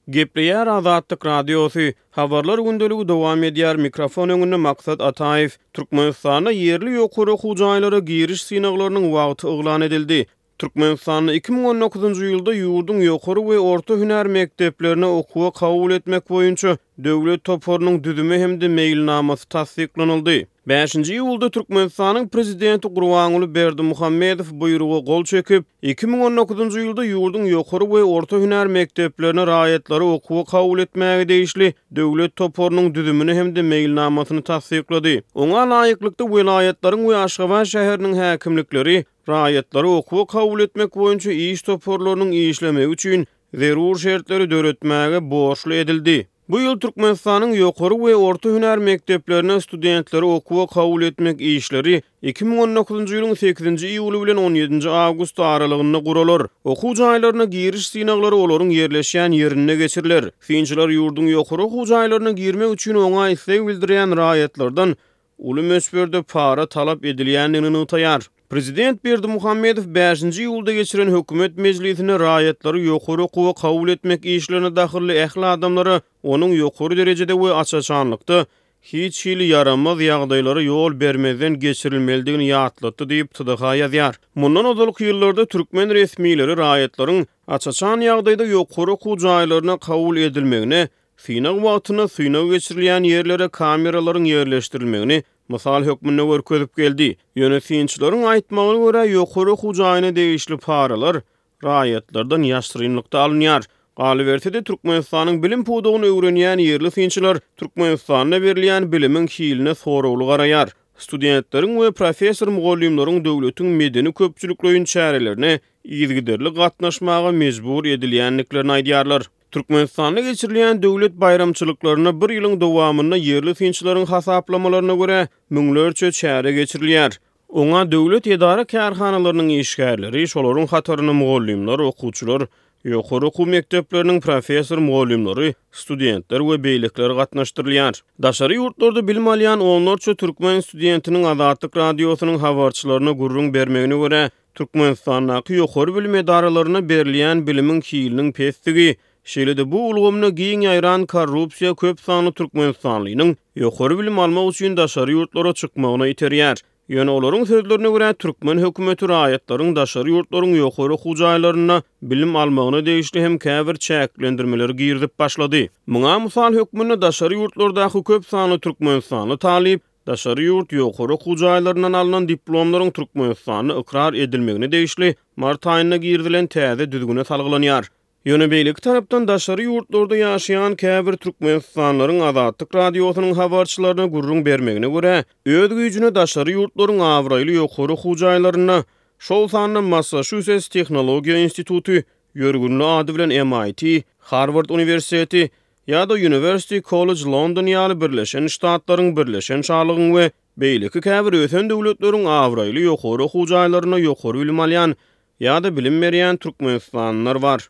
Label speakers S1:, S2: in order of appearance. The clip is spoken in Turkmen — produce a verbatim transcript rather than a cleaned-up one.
S1: Gepleýär Azatlyk Radiosy, Habarlar gündeligi dowam edýär, mikrofon öňünde Maksat Ataýew. Türkmenistanda ýerli ýokary okuw jaýlara giriş synaglarynyň wagty yglan edildi. Türkmenistanda iki müň on dokuzynjy ýylda ýurduň ýokary we orta hünär mekdeplerine okuwa kabul etmek boýunça döwlet toparynyň düzümi hem-de meýilnamasy tassyklanyldy. Bäşinji iýulda Türkmenistanyň Prezidenti Gurbanguly Berdimuhamedow buýruga gol çekip, iki müň on dokuzynjy ýylda ýurduň ýokary we orta hünär mekdeplerine raýatlary okuwa kabul etmäge degişli döwlet toparynyň düzümini hem-de meýilnamasyny tassyklady. Oňa laýyklykda welaýatlaryň we Aşgabat şäheriniň häkimlikleri raýatlary okuwa kabul etmek boýunça iş toparlarynyň işlemegi üçin zerur şertleri döretmäge borçly edildi. Bu ýyl Türkmenistanyň ýokary we orta hünär mekdeplerine studentleri okuwa kabul etmek işleri iki müň on dokuzynjy ýylyň sekizinji iýuly bilen on ýedinji awgust aralygynda guralar. Okuw jaýlaryna giriş synaglary olaryň ýerleşýän ýerinde geçiriler. Synçylar ýurduň ýokary okuw jaýlaryna girmek üçin oňa isleg bildirýän raýatlardan uly möçberde para talap edilýändigini nygtaýar. Prezident Berdimuhamedow bäşinji iýulda geçiren hökümet mejlisinde raýatlary ýokary okuwa kabul etmek işlerine dahylly ähli adamlara onuň ýokary derejede we aç-açanlykda hiç hili ýaramaz ýagdaýlara ýol bermezden geçirilmelidigini ýatlatdy diýip T D H ýazýar. Mundan ozalky ýyllarda türkmen resmileri raýatlaryň aç-açan ýagdaýda ýokary okuw jaýlaryna kabul edilmegine, synag wagtynda synag geçirilýän ýerlere kameralaryň ýerleşdirilmegini mysal hökmünde görkezip geldi. Ýöne synçylaryň aýtmagyna görä ýokary okuw jaýyna degişli paralar raýatlardan ýaşyrynlykda alynýar. Galyberse-de Türkmenistanyň bilim pudagyny öwrenýän ýerli synçylar Türkmenistanda berilýän bilimiň hiline soragly garaýar. Studentleriň we professor mugallymlaryň döwletiň medeni köpçülikleýin çärelerine yzygiderli gatnaşmaga mejbur edilýändiklerini aýdýarlar. Türkmenistanda geçirilýän döwlet baýramçylyklaryna bir ýylyň dowamynda ýerli synçylaryň hasaplamalaryna görä müňlerçe çäre geçirilýär. Oňa döwlet edara kärhanalarynyň işgärleri, şolaryň hatarynda mugallymlar, okuwçylar, ýokary okuw mekdepleriniň professor mugallymlary, studentler we beýlekiler gatnaşdyrylýar. Daşary ýurtlarda bilim alýan onlarça türkmen studentiniň Azatlyk Radiosynyň habarçylaryna gürrüň bermegine görä, Türkmenistandaky ýokary bilim edaralaryna berilýän bilimiň hiliniň pesdigi, şeýle-de bu ulgamda giň ýaýran korrupsiýa köp sanly türkmenistanlynyň ýokary bilim almak üçin daşary ýurtlara çykmagyna iterýär. Ýöne olaryň sözlerine görä türkmen hökümeti raýatlaryň daşary ýurtlaryň ýokary okuw jaýlarynda bilim almagyna degişli hem käbir çäklendirmeleri girizip başlady. Muňa mysal hökmünde daşary ýurtlardaky köp sanly türkmenistanly talyp daşary ýurt ýokary okuw jaýlaryndan alnan diplomlaryň Türkmenistanda ykrar edilmegine degişli mart aýynda girizilen täze düzgüne salgylanýar. Ýöne beýleki tarapdan daşary ýurtlarda ýaşaýan käbir türkmenistanlylaryň Azatlyk Radiosynyň habarçylaryna gürrüň bermegine görä, öz güýjüne daşary ýurtlaryň abraýly ýokary okuw jaýlarynda, şol sanda Massachusetts Tehnologiýa Instituty, ýörgünli ady bilen M I T, Harvard Uniwersiteti ýa-da University College London ýaly Birleşen Ştatlaryň, Birleşen Şalygyň we beýleki käbir ösen döwletleriň abraýly ýokary okuw jaýlarynda ýokary bilim alýan ýa-da bilim berýän türkmenistanlylar bar.